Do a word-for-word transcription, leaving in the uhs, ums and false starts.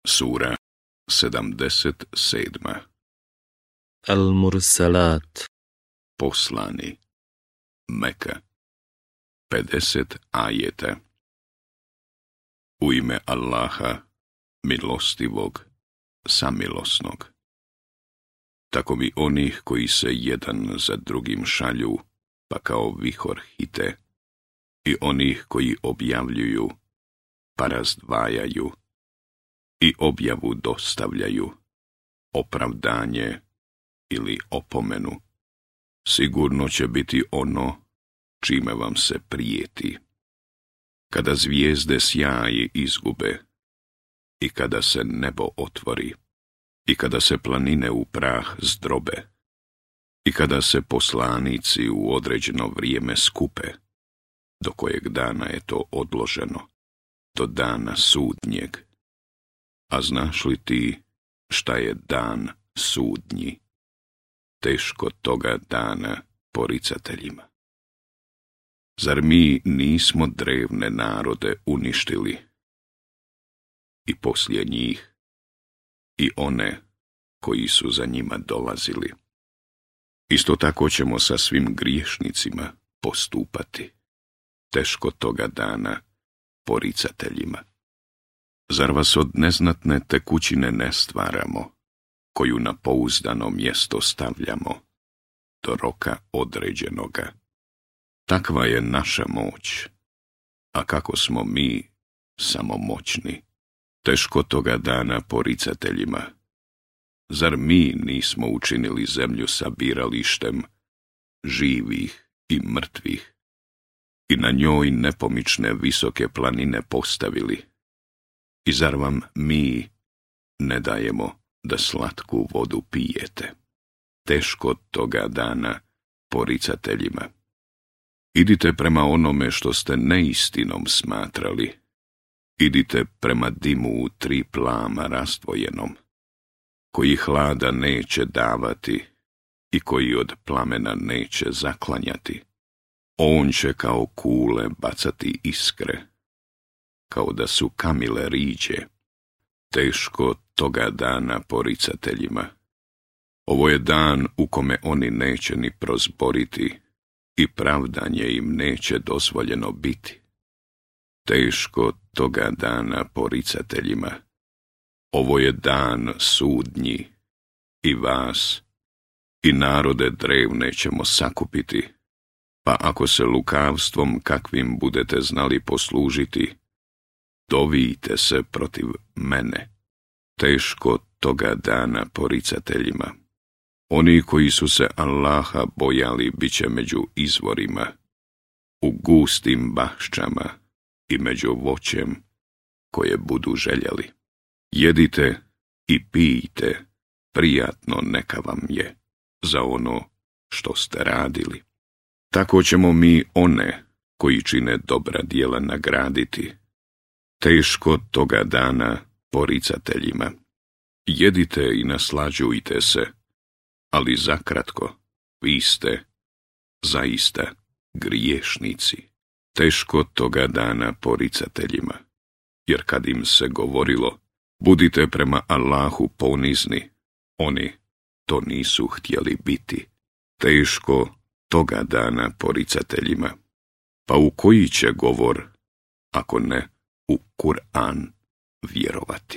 Sura sedamdeset sedma. Al-Mursalat. Poslani. Meka. pedeset ajeta. U ime Allaha, milostivog, samilosnog. Tako mi onih koji se jedan za drugim šalju, pa kao vihor hite, i onih koji objavljuju, pa razdvajaju, i objavu dostavljaju, opravdanje ili opomenu, sigurno će biti ono čime vam se prijeti. Kada zvijezde sjaji izgube, i kada se nebo otvori, i kada se planine u prah zdrobe, i kada se poslanici u određeno vrijeme skupe, do kojeg dana je to odloženo, do dana sudnjeg. A znaš li ti šta je dan sudnji? Teško toga dana poricateljima. Zar mi nismo drevne narode uništili? I poslije njih, i one koji su za njima dolazili. Isto tako ćemo sa svim griješnicima postupati. Teško toga dana poricateljima. Zar vas od neznatne tekućine ne stvaramo, koju na pouzdano mjesto stavljamo, do roka određenoga? Takva je naša moć, a kako smo mi samo moćni. Teško toga dana poricateljima. Zar mi nismo učinili zemlju sabiralištem živih i mrtvih, i na njoj nepomične visoke planine postavili? I zar vam mi ne dajemo da slatku vodu pijete? Teško toga dana poricateljima. Idite prema onome što ste neistinom smatrali. Idite prema dimu u tri plama razdvojenom, koji hlada neće davati i koji od plamena neće zaklanjati. On će kao kule bacati iskre, kao da su kamile riđe. Teško toga dana poricateljima. Ovo je dan u kome oni neće ni prozboriti i pravdanje im neće dozvoljeno biti. Teško toga dana poricateljima. Ovo je dan sudnji, i vas i narode drevne ćemo sakupiti, pa ako se lukavstvom kakvim budete znali poslužiti, dovijte se protiv mene. Teško toga dana poricateljima. Oni koji su se Allaha bojali bit će među izvorima, u gustim baščama i među voćem koje budu željeli. Jedite i pijte, prijatno neka vam je za ono što ste radili. Tako ćemo mi one koji čine dobra djela nagraditi. Teško toga dana poricateljima. Jedite i naslađujte se, ali zakratko, vi ste zaista griješnici. Teško toga dana poricateljima, jer kad im se govorilo, budite prema Allahu ponizni, oni to nisu htjeli biti. Teško toga dana poricateljima. Pa u koji će govor, ako ne u Kur'an, vjerovati?